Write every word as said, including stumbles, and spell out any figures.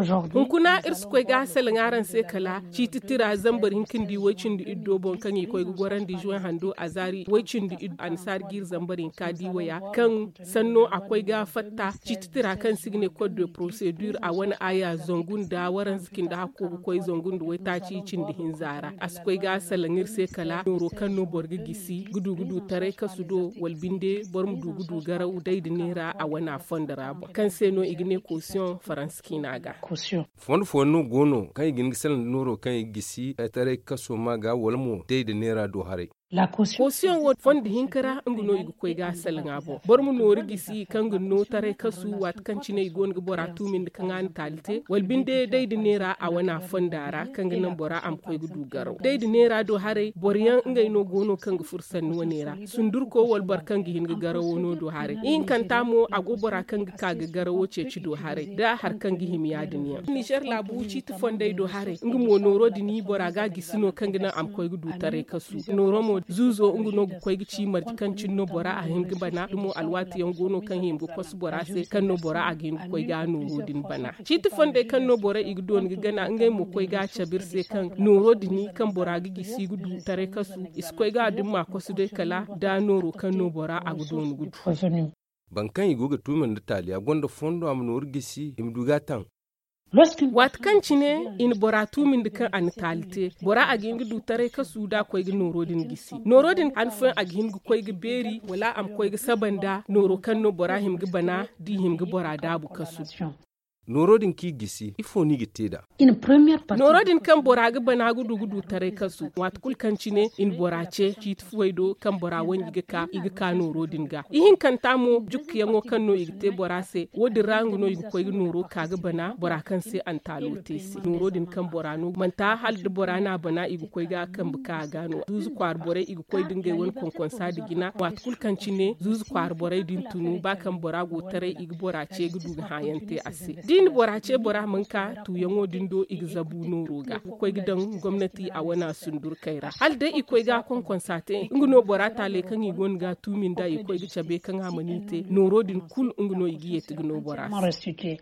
Hunkuna iri si koy ga salaŋ araŋ se kala ciiti tira zambar hinka nda way-cindi iddo boŋ kaŋ i koy ga gorandi juwen hando a zaari way-cindi iddo annasaari ga iri zambar hinka di waya kaŋ sanno a koy ga fatta ciiti tira kaŋ se i ga ne kod de porosedur a wane aya zangu nda waranza cindi hakko ga koy zangu nda waytaaci cindi hinza ra a si koy ga salaŋ iri se kala nooro kaŋ no boro ga gisi ga du ga du taray kasu do wala binde boro ma du ga du garaw day nda neera a wane a fondo ra boŋ kaŋ se no i ga ne kosiyoŋ faransa ciina ga. Fondo fooyaŋ no go no kaŋ i ga hin ga salaŋ nda nooro kaŋ i ga gisi taray kaso ma ga wala mo day nda neera do haray. Kosiyoŋ wo fondo hinka ra nga no i ga koy ga salaŋ a boŋ boro ma nooru gisi kaŋ ga no taray kasu waati kaŋ cine i go no ga bora tuumi nda kaŋ a na taali te wala binde day nda neera a wane a fonda ra kaŋ ga naŋ bora a ma koy ga du garaw day nda neera do haray boro yaŋ ngey no go no kaŋ ga furo sanni wane ra sundurko wala boro kaŋ ga hin ga garawo no do haray ihinkanta mo a go bora kaŋ ga ka ga garawo ceeci do haray da hari kaŋ ga hima ya- din yaŋ nizer laabu ciiti fondey do haray nga mo nooro din bora ga a gisi no kaŋ ga naŋ a ma koy ga du taray kasu nooro mo zuuzo nga no ga koy ga ci marje kaŋ cine no bora a hin ga bana da mo alwaati yaŋ go no kaŋ hima ga kosu bora se kaŋ no bora a ga hin ga koy ga nooro din bana ciiti fondey kaŋ no borey i ga dooni ga gana ngey mo koy ga a cabe iri se kaŋ nooro din kaŋ bora ga gisi ga du taray kasu i si koy ga a din ma kosu day kala da nooro kaŋ no bora a ga dooni ga du. Boro kaŋ i go ga tuumi nda taali a gonda fondo a ma nooru gisi i ma du ga a taŋ. Waati kaŋ cine i na bora tuumi nda kaŋ a na taali te bora a ga hin ga du taray kasu da a koy ga nooro din gisi nooro din han fooyaŋ a ga hin ga koy ga beeri wala a ma koy ga saba nda nooro kaŋ no bora hima ga bana da i hima ga bora daabu kasu. Nooro din kaŋ i ga gisi ifo no i ga te nd'a? Nooro din kaŋ bora ga bana ga du ga du taray kasu waati kulu kaŋ cine i na bora ce ciiti fuwey do kaŋ bora wanji ga ka i ga ka nooro din ga ihinkanta mo jukkuyaŋo kaŋ no i ga te bora se wo- din ra nga no i ga koy ga nooro ka ga bana bora kaŋ se a na taalo te se nooro din kaŋ bora no manti hala da bora no a bana i ga koy ga a kambe ka a ga no zuuzu kwaara borey i ga koy da ngey wane konkonsa nda jina waati kulu kaŋ cine zuuzu kwaara borey din tunu ba kaŋ bora go taray i ga bora ce ga du ga hãayaŋ te a se da i na bora ce bora mana ka tuuyaŋo din do i ga zabu nooro ga ga koy ga daŋ gomnati a wane a sundurkey ra hala day i koy ga a konkonsa te nga no bora taaley kaŋ i go no ga a tuumi nd'a i koy ga cabe kaŋ a mana i te nooro din kulu nga no i ga yeeti ga no bora se.